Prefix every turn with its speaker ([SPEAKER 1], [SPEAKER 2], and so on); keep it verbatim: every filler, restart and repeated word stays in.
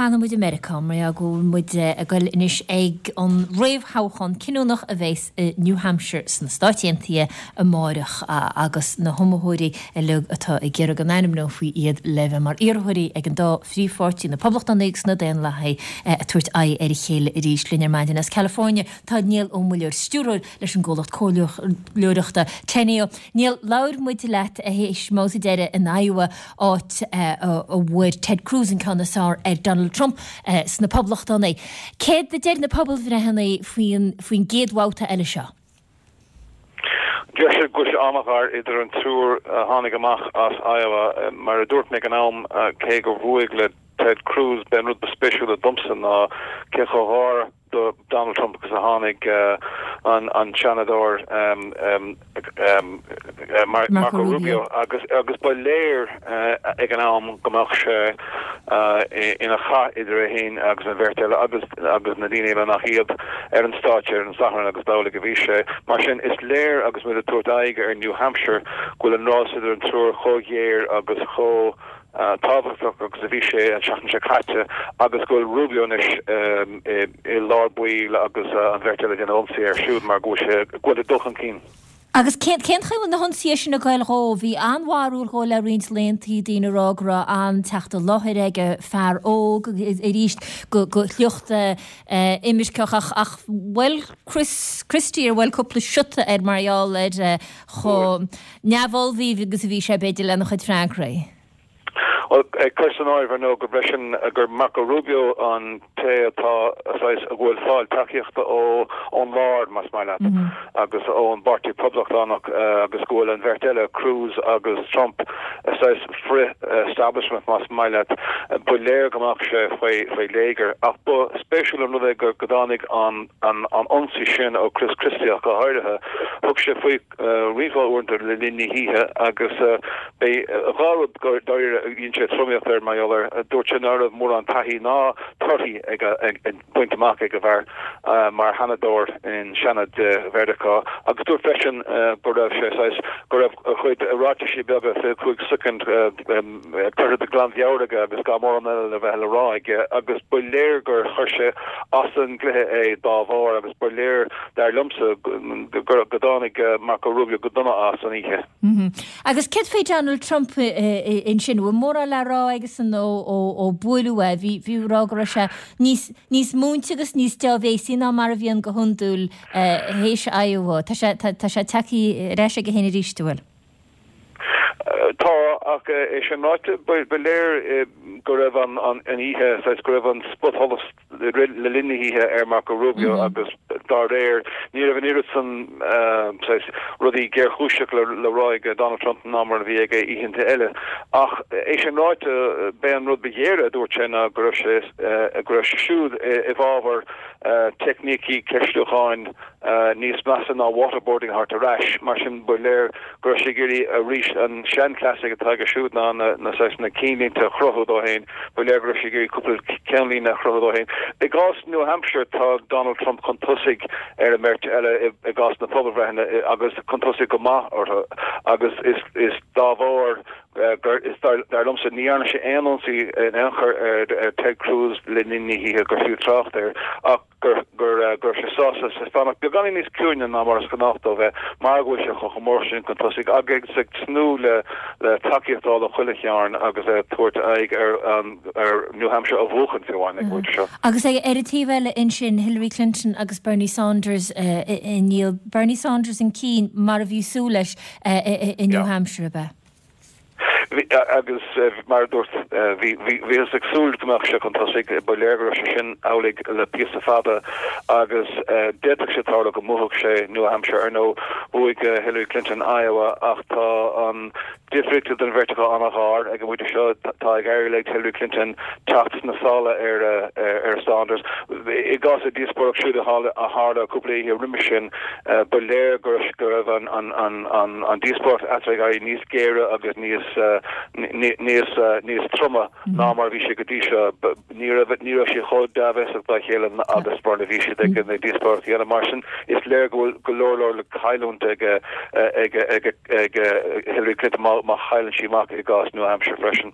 [SPEAKER 1] fanfaidh muid i Meiriceá mar go bhfuil muid ag dul anois ag an réamhthoghchán cinniúnach a bheas i New Hampshire sna Stáit Aontaithe amárach agus na hiomaitheoirí uilig atá ag iarraidh go n-ainmneofaí iad le bheith mar iarrthóirí ag an dá phríomhpháirtí, na Poblachtánaigh agus na Daonlathaigh, ag tabhairt aghaidh ar a chéile arís. Linn ar maidin as California tá Niall Ó Muilleoir, stiúrthóir leis an gcomhlacht comhairleoireachta Teneo. Niall, labhair muid leat théis an mbabhta deiridh in Iowa, áit a bhfuair Ted Cruz an ceann is fearr ar Donald Trump sna Poblachtánaigh. Céard a deir na pobalbhreitheanna faoin faoin gcéad bhabhta eile seo?
[SPEAKER 2] Deir siad go bhfuil sé an-ghar idir an triúr a tháinig amach as Iowa. Mar a dúirt mé ag an am, cé gur bhuaigh le Ted Cruz, b'é an rud ba spéisiúla domsa ná cé chomh gar do Donald Trump agus a tháinig an an Seanadóir Marco Rubio agus agus ba léir ag an am go mbeadh sé ina chath idir é féin agus an bheirt eile agus agus na daoine eile nach iad ar an stáitse ar an Satharn agus b'amhlaidh a bhí sé. Mar sin is léir agus muid ag tabhairt aghaidh ar New Hampshire go bhfuil an rás idir an triúr chomh géar agus chomh tábhachtach agus a bhí sé an tseachtain seo caite agus go bhfuil Rubio anois i lár baill agus an bheirt eile ag déanamh ionsaí air siúd mar go bhfuil sé go bhfuil ag dul chun cinn.
[SPEAKER 1] Agus cén cén chaoi a bhfuil na hionsaithe sin ag goil dhó? Bhí an-bharúil dhó le roinnt laethanta, daoine ag rá go raibh an-teacht i láthair aige, fear óg arís go go shliocht imirceach ach ach bhuail Chris Christie ar bhuail cúpla siota air mar gheall ar chomh neamhullmhaithe agus a bhí sé b'fhéidir lena chuid freagraí.
[SPEAKER 2] Bhuel, cuir san áireamh, ar ndóigh, go freisin gur Marco Rubio an té atá, saghas, a bhfuil fáil tacaíochta ó ón lár, más maith leat, agus ón bPáirtí Poblachtánach agus go bhfuil an bheirt eile, Cruz agus Trump, saghas frith-establishment, más maith leat. Ba léir go mbeadh sé faoi faoi léigear. Ach ba spéisiúil an rud é go go dtáinig an an an ionsaí sin ó Chris Christie ach go háirithe. Thug sé faoi roinnt mhaith uaireanta le linn na hoíche agus b'é dhá rud dáiríre a dhein sé tromaíocht air mar gheall air. Dúirt sé ná raibh mórán taithí ná torthaí ag bainte amach ag an bhfear mar sheanadóir in Seanad Mheiriceá agus dúirt freisin go raibh sé saghas, go raibh a chuid ráitisí beaga fiche cúig soicind curtha de ghlanmheabhair aige agus gan mórán eile le bheith le rá aige agus ba léir gur chuir sé as an gcluiche é dá bharr agus ba léir, dar liomsa, go dtáinig Marco Rubio go dona as an oíche.
[SPEAKER 1] Agus céard faoi Donald Trump ansin? Bhfuil mórán le rá aigesan ó buaileadh é? Bhí bhí ag rá go raibh sé níos níos múinte agus níos deá-bhéasaí ná mar a bhíonn go hiondúil théis Iowa. Tá sé tá sé tagtha ar ais aige féin arís, an bhfuil?
[SPEAKER 2] Tá, ach é sin ráite, ba léir go raibh an oíche, saghas, go raibh an spotsholas le linn na hoíche ar Marco Rubio agus dá réir, ní raibh an oiread san, saghas, rudaí géarchúiseach le rá ag Donald Trump ná mar a bhí aige oícheanta eile. Ach é sin ráite, b'é an rud ba ghéire a dúirt sé ná go raibh sé, go raibh sé siúd i bhfabhar teicnící ceistiúcháin níos measa ná waterboarding a thabhairt ar ais. Mar sin, ba léir go raibh sé ag iarraidh arís an seanchleas atá aige siúd ná na saghas na cinnlínte a chruthú dó féin. Ba léir go raibh sé ag iarraidh cúpla ceannlíne a chruthú dó féin. I gcás New Hampshire tá Donald Trump chun tosaigh ar an mbeirt eile i gcás na pobalbhreitheanna agus chun tosaigh go maith orthu agus is is dá bharr gur is dar liomsa ní dhearna sé aon ionsaí in aon chor ar Ted Cruz le linn na hoíche gur fiú trácht air ach gur gur go raibh sé sásta fanacht beagáinín níos ciúine ná mar is gnách dó bheith mar go bhfuil sé chomh mór sin chun tosaigh agus ag tnúth le le tacaíocht a fháil ó chuile chearn agus é ag tabhairt aghaidh ar ar New Hampshire a bhuachan fiú amháin ag an bpointe seo.
[SPEAKER 1] Agus ar an taobh eile ansin Hillary Clinton agus Bernie Sanders níl Bernie Sanders chun cinn mar a bhí súil leis i New Hampshire, ab ea?
[SPEAKER 2] Agus mar a dúirt, bhíothas ag súil go mbeadh sé chun tosaigh, ba léir go raibh sé sin amhlaidh le píosa fada agus d'fhéadfadh sé tarlú go mbuafadh sé New Hampshire. Ar ndóigh, bhuaigh Hillary Clinton Iowa ach tá an difríocht idir an bheirt acu an-ghar ag an bpointe seo. Tá ag éirí le Hillary Clinton teacht sna sála ar ar Sanders. I gcás a díospóireacht siúd a tharla cúpla oíche roimhe sin, ba léir go raibh an díospóireacht eatarthu ag éirí níos géire agus níos níos níos troma ná mar a bhí sé go dtí seo. Ní raibh ní raibh siad chomh dea-bhéasach dá chéile agus mar a bhí siad ag na díospóireachtaí eile. Mar sin, is léir go bhfuil go leor leor le cailliúint ag ag ag ag Hillary Clinton má má chailleann sí amach i gcás New Hampshire freisin.